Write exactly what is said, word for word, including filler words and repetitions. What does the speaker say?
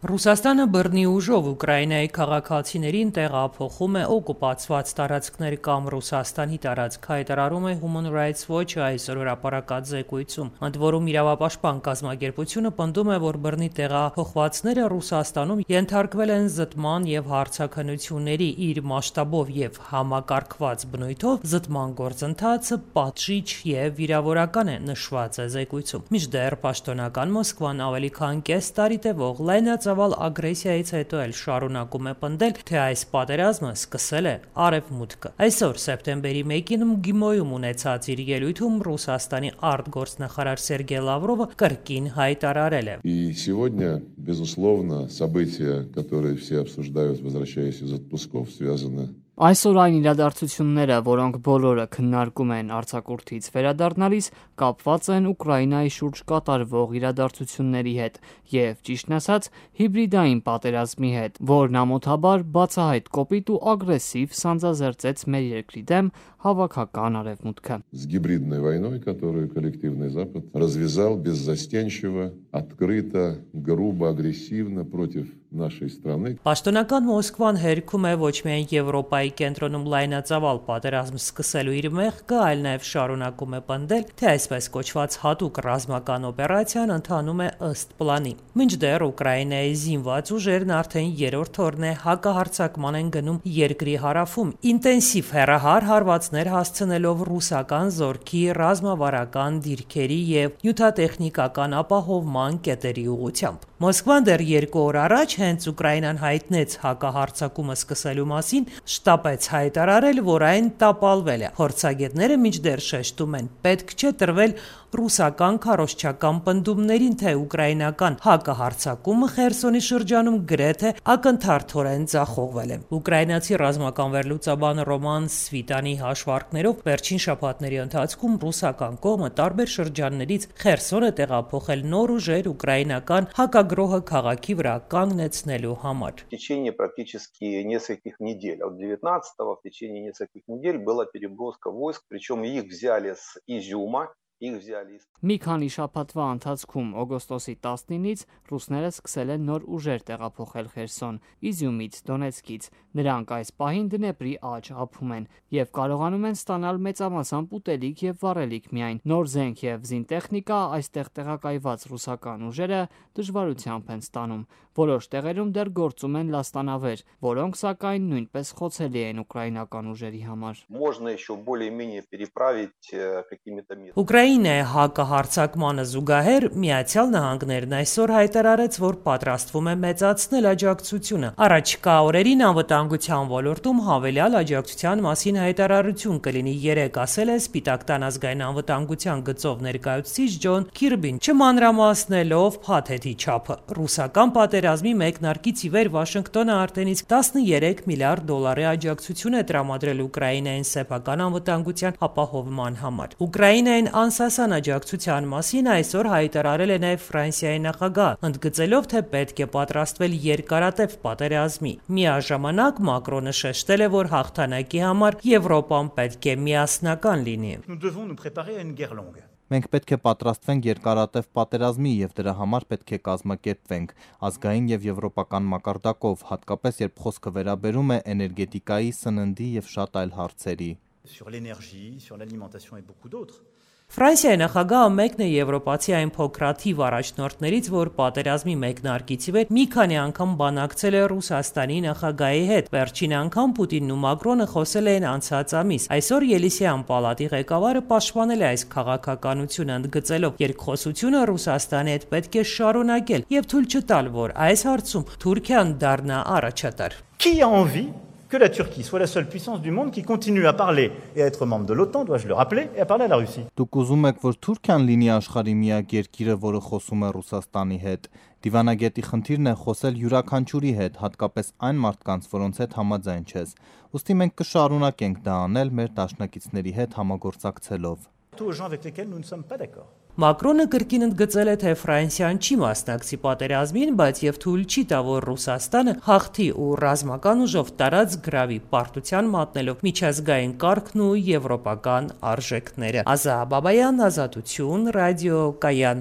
Ռուսաստանը բռնի ուժով Ուկրաինայի քաղաքացիներին տեղափոխում է օկուպացված տարածքներ կամ Ռուսաստանի տարածք, հայտարարում է Human Rights Watch-ը այսօր հրապարակած զեկույցում, ընդ որում իրավապաշտպան կազմակերպությունը պնդում է, որ բռնի տեղափոխվածները Ռուսաստանում ենթարկվել են զտման և հարցաքննությունների, իր մասշտաբով և համակարգված բնույթով զտման գործընթացը պատժիչ և վիրավորական է, նշված է զեկույցում։ Մինչդեռ պաշտոնական Մոսկվան ավելի քան կես տարի տևող լայնածավալ ագրեսիայից հետո էլ շարունակում է պնդել, թե այս պատերազմը սկսել է Արևմուտքը։ Այսօր սեպտեմբերի մեկին ՄԳԻՄՈ-ում ունեցած իր ելույթում Ռուսաստանի արտգործնախարար Սերգեյ Լավրովը կրկին հայտարարել է. И сегодня, безусловно, события, которые все обсуждают, возвращаясь из отпусков, связаны Այսօր այն իրադարձությունները, որոնք բոլորը քննարկում են արձակուրդից վերադառնալիս, կապված են Ուկրաինայի շուրջ կատարվող իրադարձությունների հետ եւ, ճիշտն ասած, հիբրիդային պատերազմի հետ, որն ամոթաբար բացահայտ կոպիտ ու ագրեսիվ սանձազերծեց մեր երկրի դեմ հավաքական Արևմուտքը։ С гибридной войной, которую коллективный Запад развязал беззастенчиво, открыто, грубо, агрессивно против нашей страны. Պաշտոնական Մոսկվան հերքում է ոչ միայն Եվրոպայի կենտրոնում լայնածավալ պատերազմ սկսելու իր մեղքը, այլ նաև շարունակում է պնդել, թե այսպես կոչված հատուկ ռազմական օպերացիան ընթանում է ըստ պլանի։ Մինչդեռ Ուկրաինայի զինված ուժերն արդեն երրորդ օրն է հակահարձակման են գնում երկրի հարավում, ինտենսիվ հեռահար հարվածներ հասցնելով ռուսական զորքի ռազմավարական դիրքերի և նյութատեխնիկական ապահովման կետերի ուղղությամբ։ Մոսկվան դեռ երկու օր առաջ հենց Ուկրաինան հայտնեց հակահարձակումը սկսելու մասին, շտապեց հայտարարել, որ այն տապալվել է։ Փորձագետները մինչդեռ շեշտում են, պետք չէ տրվել ռուսական քարոզչական պնդումներին, թե ուկրաինական հակահարձակումը Խերսոնի շրջանում գրեթե ակնթարթորեն ձախողվել է։ Ուկրաինացի ռազմական վերլուծաբան Ռոման Սվիտանի հաշվարկներով վերջին շաբաթների ընթացքում ռուսական կողմը տարբեր շրջաններից Խերսոն է տեղափոխել նոր ուժեր ուկրաինական հակագրոհը քաղաքի վրա կանգնեցնելու համար։ В течение практически нескольких недель, от девятнадцатого в течение нескольких недель была переброска войск, причем их взяли с Изюма. Մի քանի շաբաթվա ընթացքում օգոստոսի տասնինից ռուսները սկսել են նոր ուժեր տեղափոխել Խերսոն, Իզյումից, Դոնեցկից։ Նրանք այս պահին Դնեպրի աջ ափում են եւ կարողանում են ստանալ մեծամասամբ ուտելիք եւ վառելիք միայն։ Նոր զենք եւ զինտեխնիկա այստեղ տեղակայված ռուսական ուժերը դժվարությամբ են ստանում։ Որոշ տեղերում դեռ գործում են լաստանավեր, որոնք սակայն նույնպես խոցելի են ուկրաինական ուժերի համար։ Можно еще более-менее переправить какими-то местами. Ուկրաինայի հակահարձակմանը զուգահեռ Միացյալ Նահանգներն այսօր հայտարարեց, որ պատրաստվում է մեծացնել աջակցությունը։ Առաջիկա օրերին անվտանգության ոլորտում հավելյալ աջակցության մասին հայտարարություն կլինի, երեկ ասել է Սպիտակ տան ազգային անվտանգության գծով ներկայացուցիչ Ջոն Քիրբին, չմանրամասնելով փաթեթի չափը։ Ռուսական պատերազմի մեկնարկից ի վեր Վաշինգտոնը արդեն իսկ տասներեք միլիարդ դոլարի աջակցություն է տրամադրել Ուկրաինային սեփական անվտանգության ապահովման համար։ Ուկրաինային անսասան աջակցության մասին այսօր հայտարարել է նաև Ֆրանսիայի նախագահ, ընդգծելով, թե պետք է պատրաստվել երկարատև պատերազմի։ Միաժամանակ Մակրոնը շեշտել է, որ հաղթանակի համար Եվրոպան պետք է միասնական լինի։ Մենք պետք է պատրաստվենք երկարատև պատերազմի և դրա համար պետք է կազմակերպվենք ազգային և եվրոպական մակարդակով, հատկապես երբ խոսքը վերաբերում է էներգետիկայի, սննդի և շատ այլ հարցերի։ Ֆրանսիայի նախագահը մեկն է եվրոպացի այն փոքրաթիվ առաջնորդներից, որ պատերազմի մեկնարկից ի վեր մի քանի անգամ բանակցել է Ռուսաստանի նախագահի հետ։ Վերջին անգամ Պուտինն ու Մակրոնը խոսել էին անցած ամիս։ Այսօր Ելիսեյան պալատի ղեկավարը պաշտպանել է այս քաղաքականությունը, ընդգծելով, երկխոսությունը Ռուսաստանի հետ պետք է շարունակել և թույլ չտալ, որ այս հարցում Թուրքիան դառնա առաջատար։ Qui a envie que la Turquie soit la seule puissance du monde qui continue à parler et à être membre de l'OTAN, dois-je le rappeler, et à parler à la Russie. Դուք ուզում եք, որ Թուրքիան լինի աշխարհի միակ երկիրը, որը խոսում է Ռուսաստանի հետ։ Դիվանագետի խնդիրն է խոսել յուրաքանչյուրի հետ, հատկապես այն մարդկանց, որոնց հետ համաձայն չես։ Ուստի մենք կշարունակենք դա անել մեր դաշնակիցների հետ համագործակցելով։ Մակրոնը կրկին ընդգծել է, թե Ֆրանսիան չի մասնակցի պատերազմին, բայց եւ թույլ չի տա, որ Ռուսաստանը հաղթի ու ռազմական ուժով տարած գրավի, պարտության մատնելով միջազգային կարգն ու եվրոպական արժեքները։ Ազա Բաբայան, Ազատություն, ռադիո Կայան։